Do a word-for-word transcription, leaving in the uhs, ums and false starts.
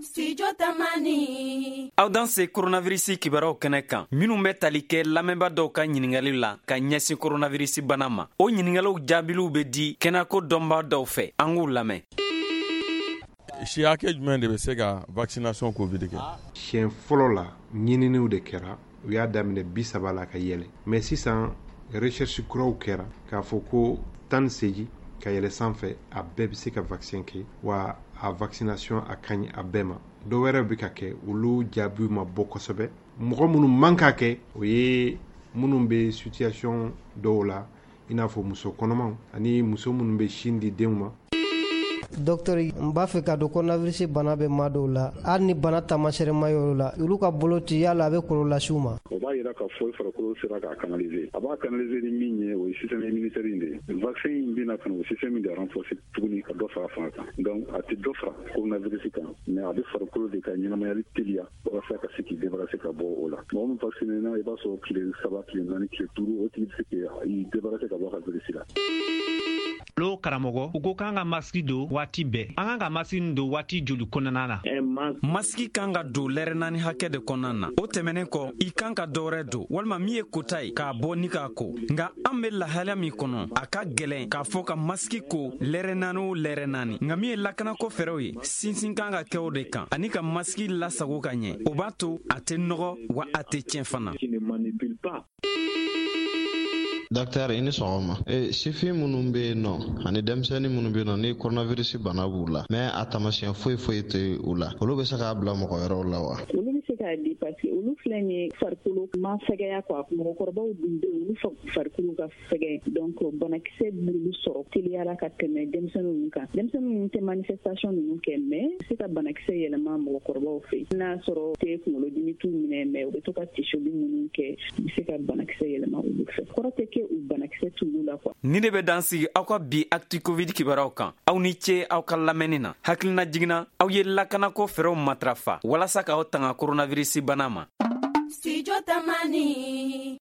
Studio Tamani. Aw danse coronavirus kibaruyaw kɛnɛ kan, minnu bɛ tali kɛ lamɛnbaa dɔw ka ɲininkali la ka ɲɛsin coronavirus bana ma. O ɲininkaliw jaabiliw bɛ di kɛnɛyako dɔnbaa dɔw fɛ, an k'u lamɛn. Si hakɛ jumɛn de bɛ se ka vaccination Covid kɛ? Siɲɛ fɔlɔ la, ɲininiw de kɛra, u y'a daminɛ bi saba la ka yɛlɛ, mais sisan recherche kuraw kɛra k'a fɔ ko tan ni seegin ka yɛlɛ sanfɛ, a bɛɛ bɛ se ka vaccin kɛ, wa a vaccination a ka ɲi a bɛɛ ma. Dɔw wɛrɛ bɛ ka kɛ, olu jaabiw ma bɔ kosɛbɛ. Mɔgɔ minnu man ka kɛ, o ye minnu bɛ situation dɔw la, i n'a fɔ muso kɔnɔmaw ani muso minnu bɛ sin di denw ma. Docteur, n b'a fɛ ka dɔn, coronavirus bana bɛ maa dɔw la, hali ni bana taamasiyɛn ma y'olu la, olu ka boloci, yala a bɛ kɔlɔlɔ lase u ma? O b'a yira k'a fɔ i farikolo sera k'a canaliser. A b'a canaliser ni min ye, o ye système immunitaire in de ye. Vaccin in bɛna ka na o système de renforcer tuguni ka dɔ fara fanga kan. Donc a tɛ dɔ fara coronavirus kan, mais a bɛ farikolo de ka ɲɛnamayali teliya walasa ka se k'i débarrasser ka bɔ o la. Mɔgɔ min vacciné na, i b'a sɔrɔ tile saba, tile naani, tile duuru, o tigi bɛ se k'i débarrasser ka bɔ a ka virus la. Lo karamɔgɔ, u ko k'an ka masiki don waati bɛɛ. An kan ka masiki don waati joli kɔnɔna na? Masiki kan ka don lɛrɛ naani hakɛ de kɔnɔna na. O tɛmɛnen kɔ, i kan ka dɔwɛrɛ don walima min ye kota ye k'a bɔ ni k'a ko. Nka an be lahalaya min kɔnɔ, a ka gwɛlɛn k'a fɔ ka masiki ko lɛrɛ naani o lɛrɛ naani. Nka min ye lakanako fɛɛrɛw ye, sinsin kan ka kɛ o de kan, ani ka masiki lasago ka ɲɛ. O b'a to a tɛ nɔgɔ, wa a tɛ tiɲɛ fana. Docteur, i ni sɔgɔma. E, sifin minnu bɛ yen nɔ ani denmisɛnnin minnu bɛ yen nɔ ni coronavirus bana b'u la, mais a taamasiyɛn foyi foyi tɛ u la, olu bɛ se k'a bila mɔgɔ wɛrɛw la wa? Olu bɛ se k'a di, parce que olu filɛ nin ye, farikolo ma fɛgɛya quoi. Mɔgɔkɔrɔbaw dun bɛ yen, olu farikolo ka fɛgɛn, donc banakisɛ b'olu sɔrɔ teliyara ka tɛmɛ denmisɛnnin ninnu kan. Denmisɛnnin ninnu tɛ manifestation ninnu kɛ, mais se ka banakisɛ yɛlɛma mɔgɔkɔrɔbaw fɛ. N'a sɔrɔ tɛ kunkolodimi t'u minɛ, mais u bɛ to ka tisoli minnu kɛ, u bɛ se ka banakisɛ yɛlɛma olu fɛ. Kɔrɔ tɛ kɛ u banakisɛ t'olu la quoi. Ni de bɛ dan sigi aw ka bi Actu Covid kibaruyaw kan. Aw ni ce aw ka lamɛnni na. Hakilina jiginna, aw ye lakanako fɛɛrɛw matarafa walasa k'aw tanga coronavirus bana ma. Studio Tamani.